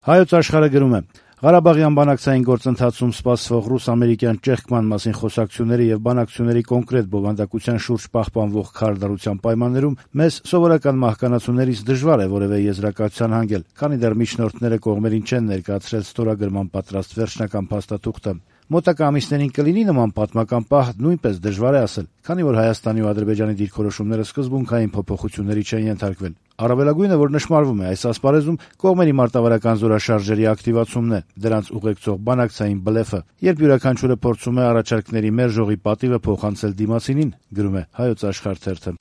Հայոց աշխարհը գրում է. Ղարաբաղյան բանակցային գործընթացում սպասվող ռուս-ամերիկյան ճեղքման մասին խոսակցությունների եւ բանակցությունների կոնկրետ բովանդակության շուրջ պահպանվող քարոզարության պայմաններում մեզ սովորական մահկանացուներից դժվար է որևէ եզրակացության հանգել, քանի դեռ միջնորդները կողմերին չեն ներկայացրել ստորագրման պատրաստ վերջնական փաստաթուղթը։ Մոտակա ամիսներին կլինի նման պատմական պահ, նույնպես դժվար է ասել, քանի որ Հայաստանի ու Ադրբեջանի դիրքորոշումները սկզբունքային փոփոխությունների չեն ենթարկվել։ Առավելագույնը, որ նշмарվում է այս ասպարեզում, կողմերի մարտավարական զորաշարժերի ակտիվացումն է, դրանց ուղեկցող բանակցային բլեֆը, երբ յուրաքանչյուրը փորձում է առաջարկների մերժողի պատիվը փոխանցել դիմացինին, գրում է Հայոց աշխարհ թերթը։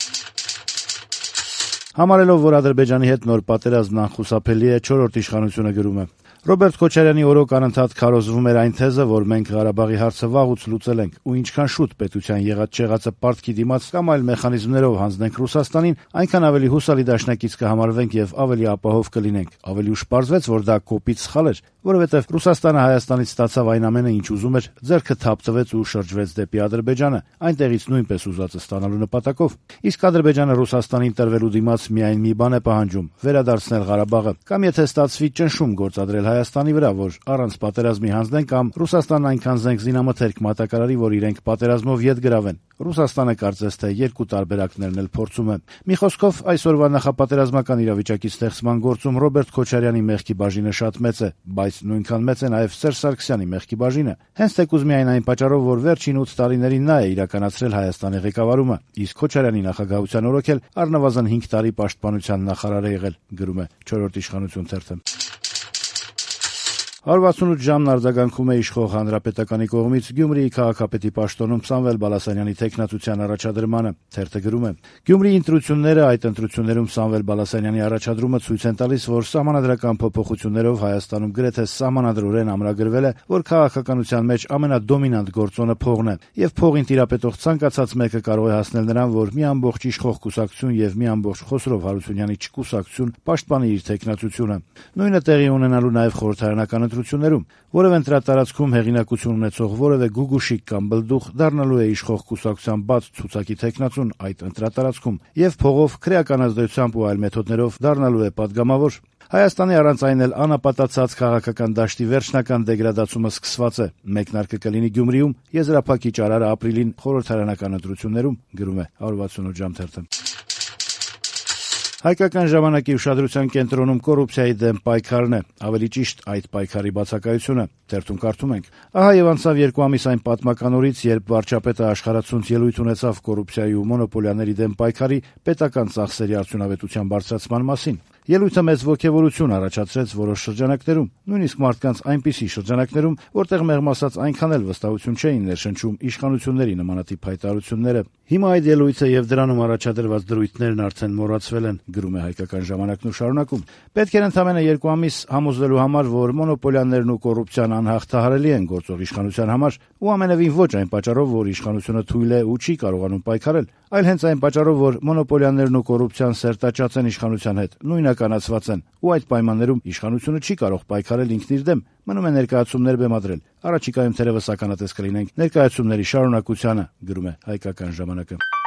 Համարելով, որ Ադրբեջանի հետ նոր պատերազմն անխուսափելի է, չորրորդ իշխանությունը գրում է. Ռոբերտ Քոչարյանի օրոք անընդհատ քարոզվում էր այն թեզը, որ մենք Ղարաբաղի հարցը վաղուց լուծել ենք ու ինչքան շուտ պետության եղած-չեղածը պարտքի դիմաց կամ այլ մեխանիզմներով հանձնենք Ռուսաստանին, այնքան ավելի հուսալի դաշնակից կհամարվենք եւ ավելի ապահով կլինենք։ Ավելի ուշ պարզվեց, որ դա կոպիտ սխալ էր, որովհետեւ Ռուսաստանը Հայաստանից ստացավ այն ամենը, ինչ ուզում էր, ձեռքը թափ տվեց ու շրջվեց դեպի Ադրբեջանը, այնտեղից նույնպես ուզածը ստանալու նպատակով։ Իսկ Ադրբեջանը Ռուսաստանին տրվելու դիմաց միայն մի բան է պահանջում՝ վերադարձնել Ղարաբաղը, կամ եթե ստացվի ճնշում գործադրել Հայաստանի վրա, որ առանց պատերազմի հանձնեն, կամ Ռուսաստանն այնքան զենք զինամթերք մատակարարի, որ իրենք պատերազմով ետ գրավեն։ Ռուսաստանը կարծես թե երկու տարբերակներն էլ փորձում է։ Մի խոսքով, այսօրվա նախապատերազմական իրավիճակի ստեղծման գործում Ռոբերտ Քոչարյանի մեղքի բաժինը շատ մեծ է, բայց նույնքան մեծ է նաև Սերժ Սարգսյանի մեղքի բաժինը։ Հենց թեկուզ միայն այն պատճառով, որ վերջին 8 տարիներին նա է իրականացրել Հայաստանի ղեկավարումը, իսկ Քոչարյանի նախագահության օրոք էլ առնվազն 5 տարի պաշտպանության նախարար է եղել, գրում է չորրորդ իշխանություն թերթը։ 168 ժամն արձագանքում է իշխող հանրապետականի կողմից Գյումրիի քաղաքապետի պաշտոնում Սամվել Բալասանյանի թեկնածության առաջադրմանը, թերթը գրում է. Գյումրիի ընտրությունները, այդ ընտրություններում Սամվել Բալասանյանի առաջադրումը ցույց են տալիս, որ սահմանադրական փոփոխություններով Հայաստանում գրեթե սահմանադրորեն ամրագրվել է, որ քաղաքականության մեջ ամենադոմինանտ գործոնը փողն է, եւ փողին տիրապետող ցանկացած մեկը կարող է հասնել նրան, որ մի ամբողջ իշխող կուսակցություն եւ մի ամբողջ Խոսրով Հարությունյանի չկուսակցություն պաշտպանի իր թեկնածությունը։ Նույնը տեղի ունենալու նաեւ խորհրդարանական ընտրություններում, որևէ ընտրատարածքում հեղինակություն ունեցող որևէ գուգուշիկ կամ բլդուխ դառնալու է իշխող կուսակցության բաց ցուցակի թեկնածուն այդ ընտրատարածքում եւ փողով, քրեական ազդեցությամբ ու այլ մեթոդներով դառնալու է падգամավոր։ Հայաստանի առանց այն էլ անապատացած քաղաքական դաշտի վերջնական դեգրադացումը սկսված է։ Մեկնարկը կլինի Գյումրիում, եզրափակիչ արարը ապրիլին խորհրդարանական ընտրություններում, գրում է 168 ժամ թերթը։ Հայկական ժամանակի ուշադրության կենտրոնում կոռուպցիայի դեմ պայքարն է, ավելի ճիշտ այդ պայքարի բացակայությունը։ Թերթում կարդում ենք. Ահա եւ անցավ 2 ամիս այն պատմական օրից, երբ վարչապետը աշխարհացունց ելույթ ունեցավ կոռուպցիայի ու մոնոպոլիաների դեմ պայքարի պետական ծախսերի արդյունավետության բարձրացման մասին։ Ելույթը մեծ ոգևորություն առաջացրեց որոշ շրջանակներում, նույնիսկ մարդկանց այնպիսի շրջանակներում, որտեղ մեղմ ասած այնքան էլ վստահություն չէին ներշնչում իշխանությունների նմանատիպ հայտարարությունները։ Հիմա այդ ելույթը եւ դրանում առաջադրված դրույթներն արդեն մոռացվել են, գրում է Հայկական ժամանակն ու շարունակում. Պետք էր ընդամենը 2 ամիս համոզվելու համար, որ մոնոպոլիաներն ու կոռուպցիան անհաղթահարելի են գործող իշխանության համար, ու ամենևին ոչ այն պատճառով, որ իշխանությունը թույլ է ու չի կարողանում պայքարել, այլ հենց այն պատճառով, որ մոնոպոլիաներն ու կոռուպցիան սերտաճած են իշխանության հետ, նույնականացված են, ու այդ պայմաններում իշխանությունը չի կարող պայքարել ինքն իր դեմ, մնում է ներկայացումներ բեմադրել։ Առաջիկայում թերևս ականատես կլինենք ներկայացումների շարունակությանը, գրում է Հայկական ժամանակը։